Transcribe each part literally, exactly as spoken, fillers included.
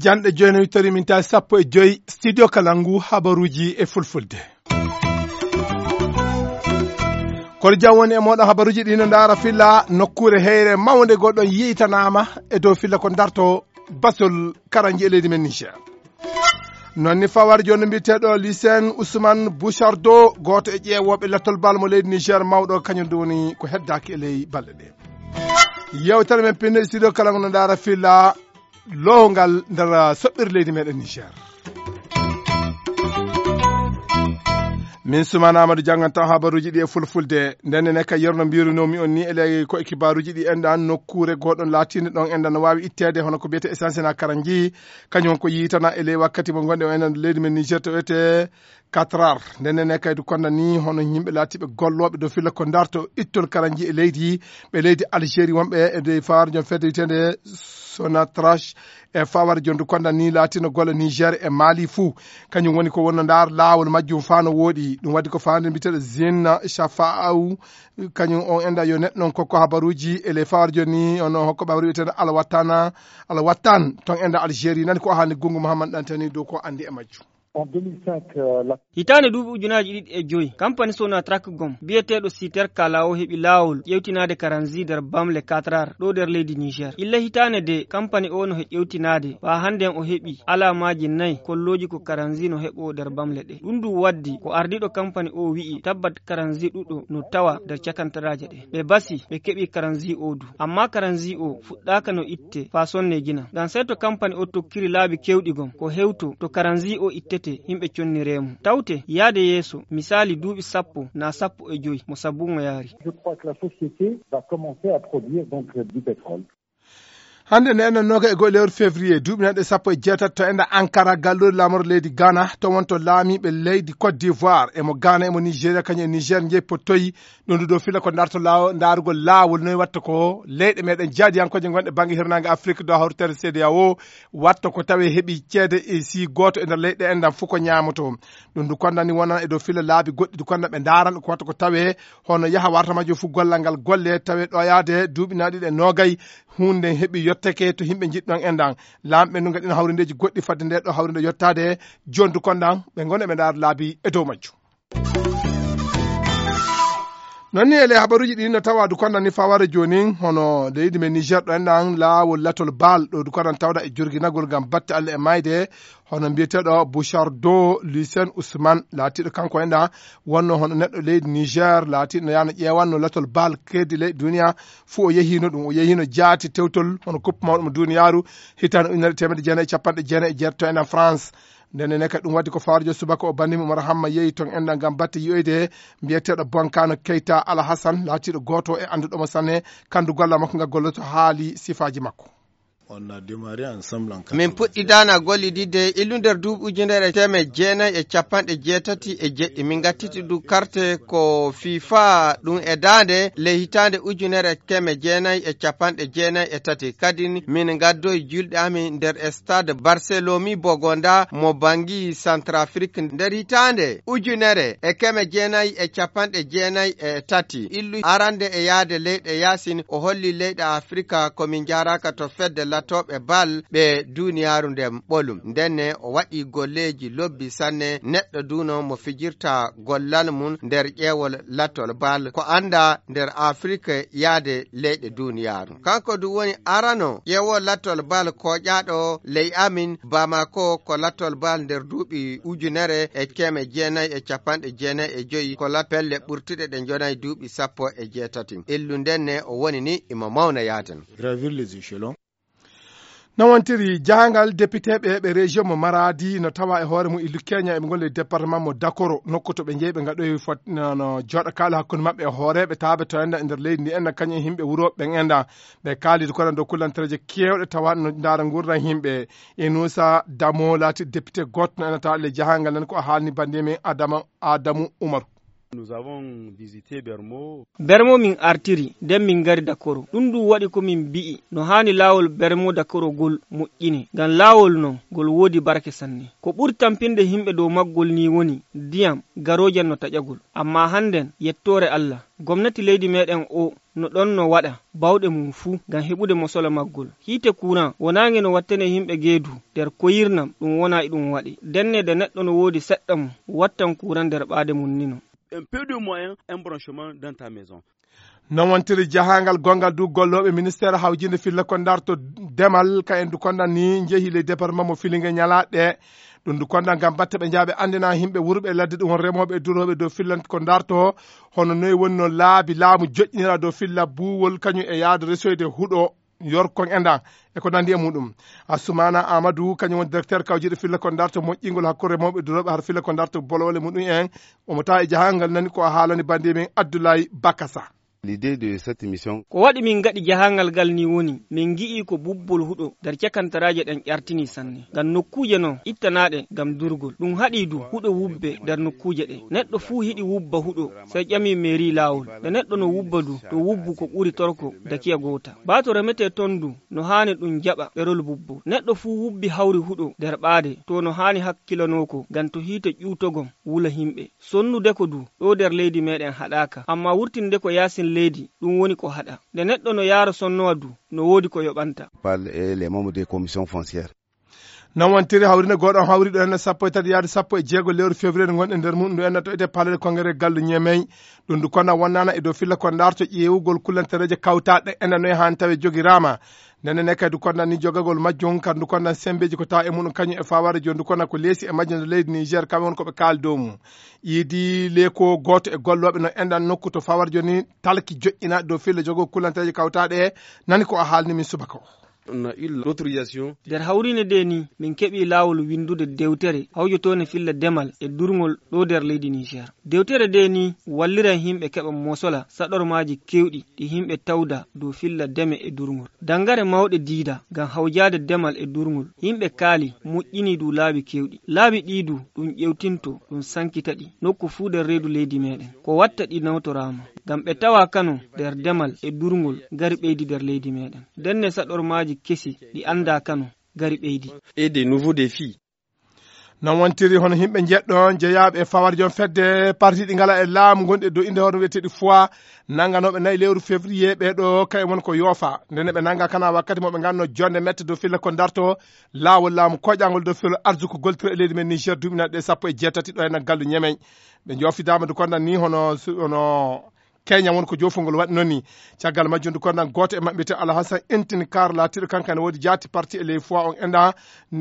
Janɗe joyi no wittori min tawi sappo e joyi studio Kalangu habaruuji e fulfulde. Kono jam woni e mooɗon habaruuji ɗi no ndaara filla nokkuure heyre mawnde goɗɗo yiitanaama e dow filla ko darto basol karanji e leydi men Niger. Noon ni fawar jooni mbiyeteeɗo Lucien Ousmane Bouchardo, gooto e ƴeewooɓe lattol bal mo leydi Niger mawɗo, kañum ɗum woni ko heddaaki e ley balɗe ɗe. Yewtere men pinno e studio Kalangu no ndaara filla lowngal nder soɓɓiire leydi meɗen Niger. Min Sumana Amadou janngan taw habaruuji ɗi e fulfulde. Nden ne ka yerno mbirunoomi on ni e ley ko e kibaaruuji ɗi enɗan nokkuure goɗɗon laatiinde ɗon enɗan no waawi itteede hono ko biyete essence na karanji. Kañum ko yiitana e ley wakkati mo ngonɗe o enɗan leydi men Niger to wiyete Qatar. Nden ne kaydu konda ni hono yimɓe laatiiɓe gollooɓe dow filla ko darto ittol karanji e leydi, ɓe leydi Algérie wonɓe e dow fawaar jom fedde wiyetende Sonatrach e fawaar jondu konda ni laatino golle Niger e Mali fuu. Kañum woni ko wonno ndaar laawol majjum faa no wooɗi. Ɗum waddi ko faande mbiyeteeɗo Zine Shafa'au. Kañum on enda yo neɗɗo non kokko habaruuji e ley fawaar joni on hokko habaru wiyetende Alwatana, Alwatan ton enda Algérie. Nani ko hannde Gungu Mouhammad Dantani dow ko anndi e majjum. En deux mille cinq, euh, la Hitaande duuɓi ujunaaji ɗiɗi e joy, kampani Sonatrach gom, biyeteeɗo Siter Kala o heɓi laawol ƴeewtinaade karanzi nder bamle Qatar ɗo nder leydi Niger. Illa hitaande de, kampani o no he ƴeewtinaade, faa hannden o heɓi alaamaaji nay kollooji ko karanzi no heɓoo nder bamle ɗe. Ɗum ndu waddi ko ardiiɗo kampani o wi'i tabbat karanzi ɗuɗo no tawa nder cakantaraaje ɗe. Ɓe basi, ɓe keɓi karanzi o du. Amma karanzi o fuɗɗaaka no itte faa sonne jina. Ngam sey to kampani o tokkiri laabi keewɗi gom, ko hewto to karanzi o ittete, yimɓe conniree mo. Tawte, yaade yeeso, misaali duuɓi sappo naa sappo e joy mo sabu mo yaari. Je crois que la société va commencer à produire donc du pétrole. Hannde nde enɗan nooga e go'o lewru février, duuɓi nanɗe sappo e jeetati to enɗan Ankara, galluure laamorɗo leydi Ghana, to wonto laamiiɓe leydi Côte d'Ivoire, e mo Ghana, e mo Nigeria, kañum e Niger, njehi pottoyi ɗum ɗo fila ko darto laawo-, ndaarugol laawol noy watta ko leyɗe meɗen jaadiyankooje gonɗe bannge hirnaange Afrik dow hawritere C D A O watta ko tawe heɓi ceede e si gooto e nder leyɗe enɗan fof ko ñaamoto. Ɗum ndu konda ni wonan e dow fila laabi goɗɗi du konda ɓe ndaaran ko watta ko tawe hono yaha warta majjo fof gollal ngal golle tawe ɗoyaade duuɓi naaɗi ɗe noogay huunde heɓi yotteke to yimɓe njiɗɗon enɗan. Laamɓe ndu ngaɗina hawrindeeji goɗɗi fadde nde ɗo hawrinde yottaade jooni du kondan ɓe ngona ɓe ndaara laabi e dow majjum. Noon ni e ley habaruuji ɗi no tawa du kondan ni fawara jooni hono leydi men Niger ɗo enɗan laawol latol baal ɗo du kondan tawda e jorginagol ngam batte Allah e mayde hono mbiyeteeɗo Bouchardo Lucien Ousmane laatiiɗo kanko enɗan wonno hono neɗɗo leydi Niger laatiiɗo no yaano ƴeewanno latol baal keedi leydi duniya fuu o yehiino ɗum o yehiino jaati tewtol hono kuppu mawɗo mo duniyaaru hitaande ujunere teemedde jeenayi e capanɗe jeenayi e jeetati to enɗan France. Nden ne kadi ɗum waddi ko faarjo subaka o banndimi Umar Hamma yehi toon enɗan ngam batte yi'oyde mbiyeteeɗo Bonkano Keita Alhassan laatiiɗo gooto e annduɗo mo sanne kanndu gollal makko ngal golloto haali sifaaji makko. On a démarré ensemble en Min quatre-vingt-seize. Puɗɗidaana gollididde illu nder duuɓi ujunere teemeɗɗe jeenayi e capanɗe jeetati e jeɗɗi. Min ngattiti du karte ko FIFA ɗum e daande ley hitaande ujunere keme jeenayi e capanɗe jeenayi e tati. Kadi min ngaddoyi julɗe amin nder stade Barcelomi Bogonda mo Bangi Centrafrique nder hitaande ujunere e keme jeenayi e capanɗe jeenayi e tati. Illu arande e yaade leyɗe yaasin o holli leyɗe Afrika ko min njaaraaka to fedde latooɓe bal ɓe duniyaaru nden ɓolum. Ndenne o waɗi golleeji lobbi sanne neɗɗo duno mo fijirta gollal mum nder ƴeewol latol bal ko annda nder Afrik yaade leyɗe duniyaaru. Kanko du woni arano ƴeewol latol bal koƴaaɗo ley amin Bamako ko latol bal nder duuɓi ujunere e keme jeenayi e capanɗe jeenayi e joyi ko lat pelle ɓurtuɗe ɗe njonayi duuɓi sappo e jeetati. Illu ndenne o woni ni imo mawna yaaden. Gravir les échelons. No wontiri jahangal depiteeɓe ɓe région mo Maradi no tawa e hoore mum illu Kenya eɓe ngoni e département mo Dakoro nokku to ɓe njeyi ɓe ngaɗoyi fot no, no jooɗa kaala hakkunde maɓɓe e hooreeɓe taaɓe to enda e nder leydi ndi enda kañum e yimɓe wuro ɓen enda ɓe kaalidi kono dow kullantereeje keewɗe tawa no ndaara nguurndam yimɓe. Inusa Damo laati député gooto no enata le jahangal nan ko o haalni bannde men Adama Adamu Umaru. Nous avons visité Bermo. Bermo min artiri, nden min ngari Dakoro. Ɗum ɗum waɗi ko min mbi'i, no haani laawol Bermo Dakoro ngol moƴƴine. Ngam laawol non, ngol woodi barke sanne. Ko ɓuri tampinde yimɓe dow maggol nii woni, ndiyam, garoojam no taƴagol. Ammaa hannden, yettoore Allah, gomnati leydi meeɗen o no ɗon no waɗa baawɗe mum fuu ngam heɓude mosola maggol. Hiite kuuran wonaange no wattane yimɓe geedu nder koyirnam ɗum wona e ɗum waɗe. Ndenne de neɗɗo no woodi seɗɗa mum wattan kuuran nder ɓaade mum nino. Un peu de moyens, un branchement dans ta maison. Non wontiri jahangal gongal du gollooɓe ministeer hawjinde filla ko ndarto demal ka en du kondan ni njehi le département mo filinge ñalaaɗe. Ɗum du kondan ngam batte ɓe njaaɓe anndina yimɓe wurɓe e ladde ɗum won remooɓe e durooɓe dow fillan ko ndarto hono noy woni no laabi laamu joƴƴinira dow filla buuwol kañum e yaade resoyde huɗo yorkon e ndan e ko nandi e muɗum. Assoumana Amadou kañum woni directeur kawjiɗo filla ko ndarto moƴƴingol hakkunde remooɓe e durooɓe har filla ko ndarto bolowole muɗum en. Omo tawa e jahangal nani ko a haalani bande men Abdoulaye Bakasa. L'idée de cette mission. Ko waɗi min ngaɗi jahangal ngal ni woni min ngi'i ko bubbol huɗo nder cakantaraaje ɗen ƴartini sanne. Ngam nokkuuje non ittanaaɗe ngam durgol. Ɗum haɗi du huɗo wubbe nder nokkuuje ɗe. Neɗɗo fuu hiɗi wubba huɗo, sey ƴami meeri laawol. Nde neɗɗo no wubba du, to wubbu ko ɓuri torko dakiya goota. Baa to remetee ton du, no haani ɗum jaɓa ɓerol bubbo. Neɗɗo fuu wubbi hawri huɗo nder ɓaade, to no haani hakkilanoo ko, ngam to hiite ƴuwtogom wula yimɓe. Sonnude ko du, ɗo nder leydi meeɗen haɗaaka, ammaa wurtinde ko yaasin leydi, ɗum woni ko haɗa. Nde neɗɗo no yaara sonnowa du, no woodi ko yoɓanta. Parle et les membres des commissions foncières. Non wontiri hawrinde gooɗo on hawri ɗo enne sappo e tati yaade sappo e jeego lewru février ngonɗen nder mum, ndu enne to ete palais de congrès gallu Ñemey. Ɗum ndu kona wonnana e dow filla ko ndarto ƴeewugol kullantereeje kawtaaɗe enne noye haan tawe jogiraama. Nenne ne kadi du kondan ni jogagol majjum, kadi ndu kondan sembeeji ko tawa e muɗum kañum e fawaare joni ndu kona ko leesi e majjum nde leydi Niger, kamɓe won ko ɓe kaali dow mum. Iidi leeko gooto e gollooɓe no enɗan nokku to fawaare joni talki joƴƴina dow filla jogagol kullantereeje kawtaaɗe, nani ko a haalni min subaka o. On a eu l'autorisation. Nder hawriinde nde ni, min keɓi laawol winndude dewtere hawjotoonde filla demal e durngol ɗo nder leydi Niger. Dewtere nde ni walliran yimɓe keɓa mosola saɗormaaji keewɗi ɗi yimɓe tawda dow filla deme e durngol. Danngare mawɗe diida ngam hawjaade demal e durngol. Yimɓe kaali, moƴƴini du laabi keewɗi. Laabi ɗi du, ɗum ƴeewtinto, ɗum sankita ɗi. Nokku fuu nder reedu leydi meeɗen. Ko watta ɗi nawtoraama. Ngam ɓe tawa kano nder demal e durngol ngari ɓeydi nder leydi meeɗen. Ndenne saɗormaaji kesi ɗi anndaa kano ngari ɓeydi. Et des nouveaux défis. Non wontiri hono yimɓe njeɗɗo jeyaaɓe e fawarjo fedde partiiɗi ngala e laamu gonɗi e dow innde hono wiyeteeɗi fois nannganooɓe nayi lewru février ɓee ɗo kayen woni ko yoofa. Ndenne ɓe nannga kana wakkati mo ɓe ngannoo jonde mette dow filla ko ndarto laawol laamu koƴangol dow filo arsuko goltiro e leydi men Niger duuɓi naɗɗe sappo e jeetati ɗo e nan gallu Ñemey. Ɓe joofidaama du kondan ni hono su-, hono Kenya woni ko joofol ngol waɗi noon ni. Caggal majjum du kondan gooto e maɓɓe wiyetee Alhassan Intin Kar laatiiɗo kanko ne woodi jaati parti e ley fois on enɗa.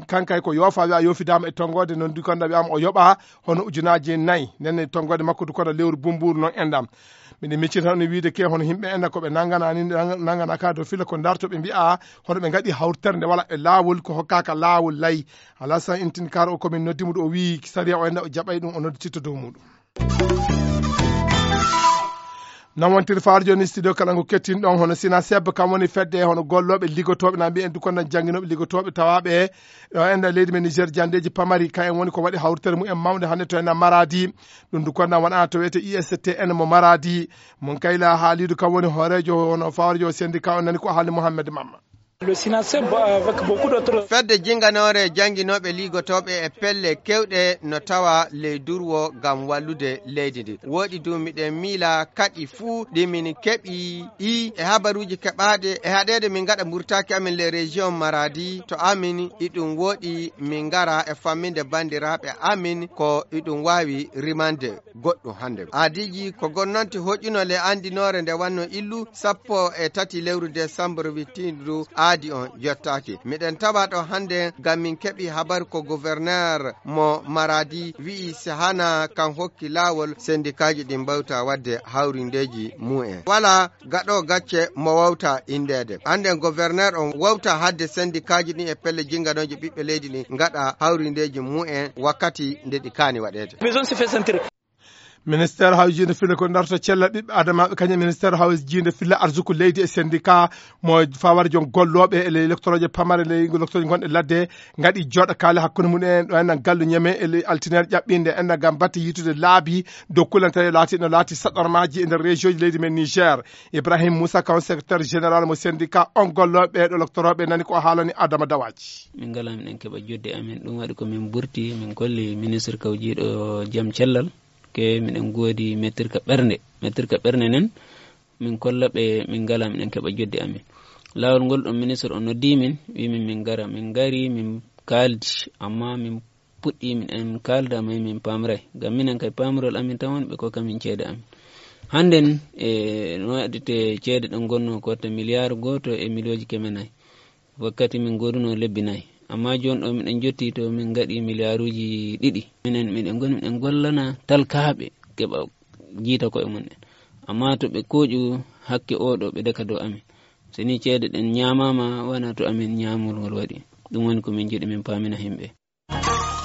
Kanko hay ko yoofa wiya yoofidaama e tonngoode noon du kondan wiyaama o yoɓa hono ujunaaji nayi. Nden ne tonngoode makko du kondan lewru bumbuuru noon enɗam. Miɗen miccita tan wiide ke hono yimɓe enɗa ko ɓe nanngana ni, nanngana ka dow filla ko ndarto ɓe mbi'a hono ɓe ngaɗi hawtere nde wala e laawol ko hokkaaka laawol lay. Alhassan Intin Kar o ko min noddi mo ɗo o wi'i sariya o enɗa o jaɓay ɗum o noddititto dow muɗum. Non wontiri faar jooni studio kala ngu kettin ɗon hono sina sebba kam woni fedde hono gollooɓe liggotooɓe na mbiyen du kondan jannginooɓe liggotooɓe tawaaɓe ɗo enɗa leydi men Niger janndeeji pamari kayen woni ko waɗi hawritere mumen mawnde hannde to enɗa Maradi. Ɗum du kondan waɗana to wiyetee I S T N mo Maradi. Mon kayla haalidu kam woni hooreejo hono fawarjo syndicat o nani ko haalni Mohammed Mamma. Le Sinaseb avec beaucoup d'autres. Fedde jinnganoore jannginooɓe liggotooɓe e pelle keewɗe no tawa ley durwo ngam wallude leydi ndi. Wooɗi du miɗen miila kaɗi fuu ɗi min keɓi ɗi e habaruuji keɓaaɗi e haɗeede min ngaɗa mburtaaki amin les régions Maradi to amin iɗum wooɗi min ngara e famminde banndiraaɓe amin ko iɗum waawi rimande. Goɗɗum hannde. Aadiiji ko gonnanti hoƴƴuno le anndinoore nde wanno illu sappo e tati lewru décembre wittindu aadi on yottaaki. Miɗen tawa ɗo hannde ngam min keɓi habar ko gouverneur mo Maradi wi'i si hana kan hokki laawol sendikaaji ɗin mbawta waɗde hawrindeeji mumen. Wala gaɗo gacce mo wawta indeede. Annden gouverneur on wawta hadde sendikaaji ɗin e pelle jinnganooji ɓiɓɓe leydi ɗin ngaɗa hawrindeeji mumen wakkati nde ɗi kaani waɗeede. Ministeer hawjiinde filla ko darto cellal ɓiɓɓe adamaaɓe, kañum e ministeer hawjiinde filla arsuku leydi e syndicat mo fawar joom gollooɓe e ley lektorooje pamare, ley lektorooje gonɗe ladde, ngaɗi jooɗo kaale hakkunde mum en ɗo enɗan gallu ñeme e ley altineer ƴaɓɓinde enɗan ngam batte yitude laabi dow kulantere laati no laati saɗormaaji e nder région ji leydi men Niger. Ibrahim Moussa, kaw secrétaire général mo syndicat on gollooɓe ɗo lektorooɓe, nani ko haalani Adama Dawaji. Min ngala miɗen keɓa joddi amin, ɗum waɗi ko min burti, min kolli ministre kawjiiɗo jam cellal, ke miɗen ngoodi mettirka ɓernde, mettirka ɓernde nen, min kolla ɓe min ngala miɗen keɓa joddi amin. Laawol ngol ɗon ministre on noddi min, wi min min ngara, min ngari, min kaaldi, amma min puɗɗi min en kaalda may min paamray, ngam minen kay paamirol amin tan woni ɓe kokka min ceede amin. Hannden e no waɗite ceede ɗen gonno ko watta miliyaar gooto e miliyooji keme nay. Wakkati min gooduno lebbi nay. Amma jooni ɗo miɗen jotti to min ngaɗi miliyaaruuji ɗiɗi. Minen miɗen ngoni miɗen gollana talkaaɓe keɓa jiita koye mum en. Amma to ɓe kooƴu hakke oo ɗo ɓe daka dow amin. So ni ceede ɗen ñaamaama wona to amin ñaamol ngol waɗi. Ɗum woni ko min njiɗi min paamina himɓe.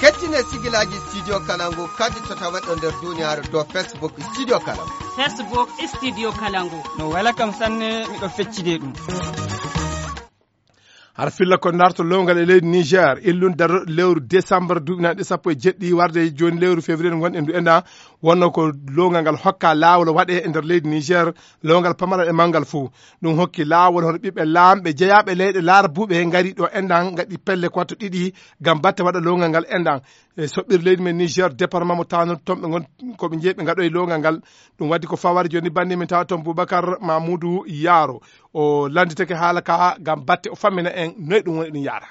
Kettine sigilaaji Studio Kalangu kadi to tawa ɗo nder duniyaaru dow Facebook Studio Kalangu. Facebook Studio Kalangu. No wela kam sanne, miɗo feccide ɗum. Har filla ko darto lowngal e leydi Niger, illun daro lewru décembre duuɓi nanɗe sappo e jeɗɗi warde jooni lewru février ngonɗen ndu enɗan, wonno ko lowngal ngal hokka laawol waɗe e nder leydi Niger, lowngal pamaral e manngal fuu. Ɗum hokki laawol hono ɓiɓɓe laamɓe jeyaaɓe leyɗe laarabuuɓe ngari ɗo enɗan ngaɗi pelle ko watto ɗiɗi ngam batte waɗa lowngal ngal enɗan. E soɓɓir leydi men Niger, département mo Tanout, toon ɓe ngon, ko ɓe jeyi ɓe ngaɗoyi lowngal ngal. Ɗum waɗi ko fawari jooni bannde min tawa toon Boubacar Mamoudou Yaro. O lannditake haala ka ngam batte o fammina en noy ɗum woni ɗum yaara.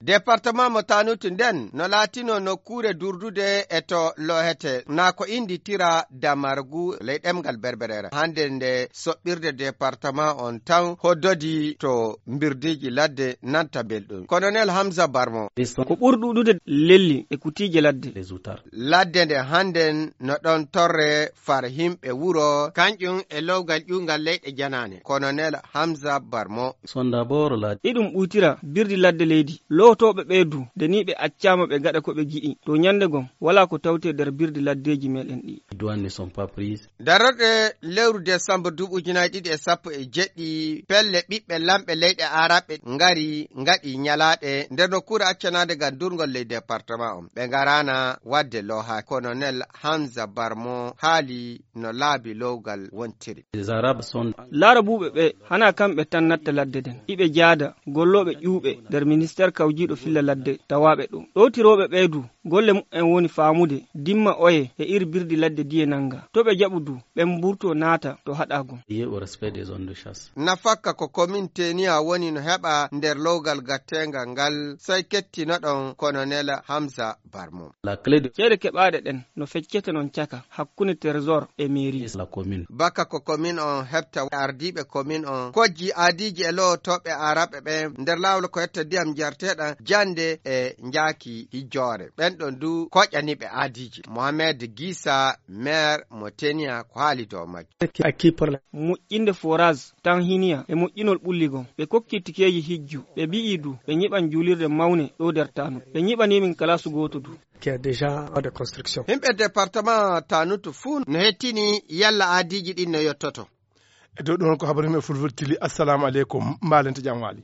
Département mo Tanout nden no laatino nokkuure durdude e to loohete, na ko innditira Damargu ley ɗemngal Berbereere. Hannde nde soɓɓirde département on tan hoddodi to mbirdiiji ladde nanta belɗum. Colonel Hamza Barmo. Ko ɓuri ɗuuɗude lelli e kutiije ladde. Ladde nde hannden no ɗon torre far himɓe wuro, kanƴum e lowgal ƴuwngal leyɗe janaane, Colonel Hamza Barmo. Sonda Boro Ladi. Iɗum ɓuytira birdi ladde leydi. Lootooɓe ɓee du, nde ni ɓe accaama ɓe ngaɗa ko ɓe giɗi. To ñannde gom, walaa ko tawtee nder birdi laddeeji meɗen ɗi. Douane ne sont pas prises. Darorɗe lewru décembre duuɓi ujunaaji ɗiɗi e sappo e jeɗɗi, pelle ɓiɓɓe lamɓe leyɗe Aaraɓe ngari, ngaɗi ñalaaɗe nder nokkuure accanaade ngam durngol ley département on. Ɓe ngaraana waɗde looha. Colonel Hamza Barmo haali no laabi lowgal wontiri. Les Arabes sont. Laarabuuɓe ɓe, hanaa kamɓe tan natta ladde nden. Iɓe jaada gollooɓe ƴuuɓe nder ministeer kawjiiɗo filla ladde tawaaɓe ɗo. Ɗowtirooɓe ɓee du, golle mumen woni faamude dimma oye e ir birdi ladde diye nannga. To ɓe jaɓu du, ɓen mburto naata to haɗaa gom. Lié au respect des zones de chasse. Nafakka ko commune Teniya woni no heɓa nder lowgal gatteengal ngal, sey kettinoɗon Colonel Hamza Barmo. La clé de. Ceede keɓaaɗe ɗen no feccete non caka hakkunde trésor e mairie. La commune. Baka ko commune on heɓta, ardiiɓe commune on kojji aadiiji e lowotooɓe Aaraɓe ɓen nder laawol ko etta ndiyam njarteeɗam jannde e njaaki hijjoore. Ɓen ɗon du koƴani ɓe aadiiji. Mohamed Gisa, maire mo Teniya, ko haali dow majjum. Moƴƴinde forage Tanhiniya e moƴƴinol ɓulli gom. Ɓe kokki tikeeji hijju. Ɓe mbi'i du ɓe nyiɓan juulirde mawne ɗo nder Tanut. Ɓe nyiɓani min kalaasu gooto du. Qui a déjà de construction. Himɓe département Tanut fuu no hettini yalla aadiiji ɗin no yottoto. E dow ɗum ko habaru men fulfulde tili. Assalamu aleykum, mbaalente jam waali.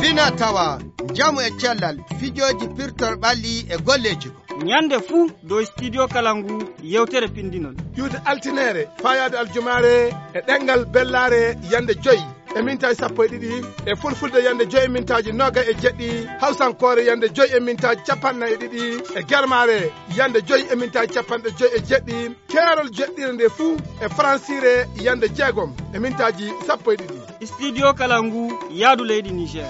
Fina tawa, njamu e cellal, fijooji pirtol ɓalli e golleeji. Ñande fuu dow studio kala ngu yewtere pindinol. Ƴuwde altineere, faayaade aljumaare e ɗemngal bellaare yande joy e mintaaji sappo e ɗiɗi, e fulfulde yande joy e mintaaji noogay e jeɗɗi, hawsankoore yande joy e mintaaji capanɗe nayi e ɗiɗi, e germaare yande joy e mintaaji capanɗe joy e jeɗɗi, keerol jeɗɗire nde fuu e faransiire yande jeegom e mintaaji sappo e ɗiɗi. Studio kala ngu yaadu leydi Niger.